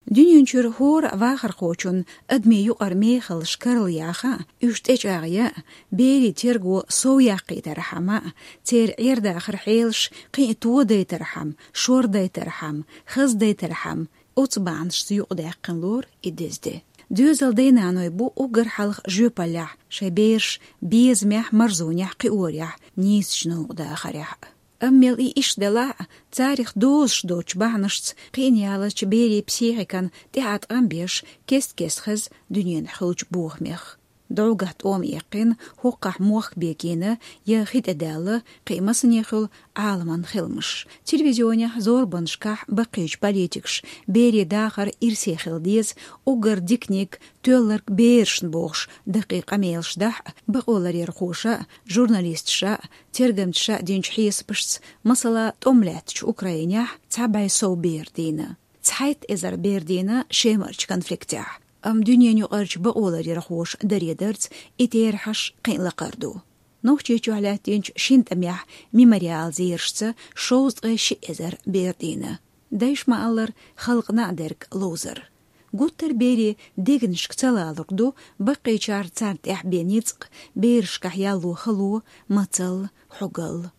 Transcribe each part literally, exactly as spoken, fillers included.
Дуьнен чуьра хӀора вахархочун адамийн юкъара мехаллаш карла яха, уьш тӀечӀагӀъя, берийн терго сов яккхийтархьама, церан Ӏер-дахаран хьелаш кхин а тодайтархьама, шордайтархьама, хаздайтархьама, оцу бахьанашца юкъадаьккхина лору и деза де. Доьзал дай-наной бу уггар хьалха жоьпаллехь, шайн бераш безамехь, марзонехь, кхиорехь, нийсачу новкъа дахарехь. Амма мел и иштта делахь а, царах дозуш доцчу бахьанашца кхиъна яллачу берийн психикан тӀехь а тӀам беш, кест-кеста хеза дуьненахь хуьлучу бохамех. ДӀогахь тӀома эккхина, хӀокхахь мохк бегийна я хи тӀедаьлла кхин а масане хуьлу Ӏаламан хиламаш. Телевизионехь, зорбанашкахь баккхийчу политикаша берийн дахар ирсе хила деза, уггар диканиг тоьлларг берашна бохуш, даккхий къамелаш дахь а, бакъоларъярхоша а, журналисташа а, тергамчаша а динчу хьесапашца, масала, тӀом лаьттачу Украинехь цхьа бӀе сов бер дийна. Цхьайтта эзар бер дийна Шемарчу конфликтехь. Амма дуьненаюкъарчу бакъоларъярхоша даре дарца и терахьаш кхин а лакхара ду. Нохчийчохь лаьттинчу шина тӀамехь «Мемориал» зерашца шовзткъе шиъ эзар бер дийна. Дайша ма-аллара, халкъана а дерг ловзар. Гуттар а берийн дегнашка ца лалург ду баккхийчара царна тӀехь бен ницкъ, берашкахь ялло хало, мацалла, хьогалла.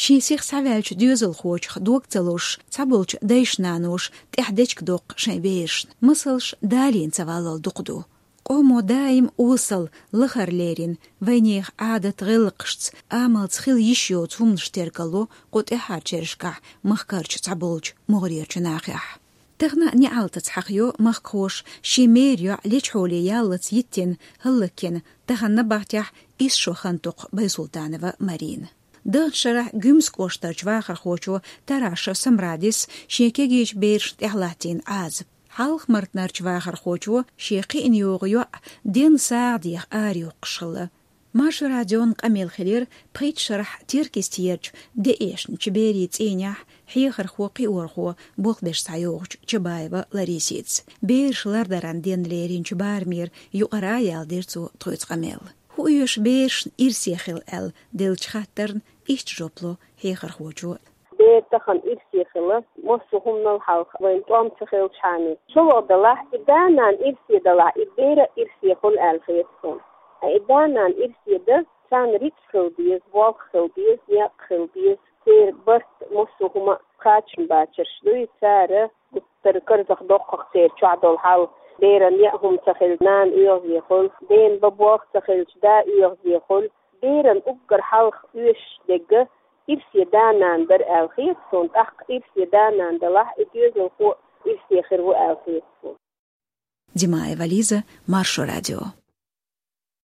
Шен сиха схьаваьллачу доьзалхочух дог ца лозуш, цхьаболчу дайша-наноша тӀехь дечиг доккху шайн берашна. Масалш далийна ца валлал дукха ду. Къомо даим осал, лахара лерина, вайнехан Ӏадат-гӀиллакхашца, амалца хила йиш йоцу хӀуманаш тергало кху тӀаьхьарчу шерашкахь махкарчу цхьаболчу могӀарерчу нахехь. Тахана а неӀалтаца хьахайо махкахоша шен мера йоӀ лечхьоле яллалц йиттина, хӀаллакйина, тахана набахтехь исс шо хан токху Байсултанова Марина. Даханчу шарахь Гуьмсан кӀоштарчу вахархочо Тарашев Самрадис шен кегийчу берашна тӀехь латтийна Ӏазап. Хьалха-Мартанарчу вахархочо шен кхиъна йогӀу йоӀ денна сагӀа деха арайоккхуш хилла. Маршо радион къамел хилира пхийтта шарахь Теркйистерчу деэшначу берийн цӀийнехь хьехархо-кхиорхо болх беш схьайогӀучу Чабаева Ларисица. Бераш лардаран денна леринчу барамера юкъара а яьлла дира цо тхоьца къамел. ХӀун оьшу берашна ирсе хила аьлла деллачу хаттарна иштта жоп ло хьехархочо. Бер тахана ирсе хила, массо а хӀуманал хьалха вайн тӀом ца хилчхьана. ШолгӀа далахь, и да-нана ирсе далахь, и бер а ирсе хуьлу аьлла хета суна. Ткъа и да-нана ирсе дан, царна рицкъ хила деза, болх хила деза, некъ хила деза, церан барт, массо а хӀума кхачам бацарш дуй, цара гуттар а карзахдоккху-кх церан чохь долу хьал. Беран яа хӀума ца хилча, нана оьгӀазе хуьлу, дена бан болх ца хилча, да оьгӀазе хуьлу. Беран уггар хьалха оьшуш дерг ирсе да-нана дара аьлла хета суна, тӀаккха ирсе да-нана далахь, и доьзалхо ирсе хир ву аьлла хета суна. Димаева Лиза, Маршо радио.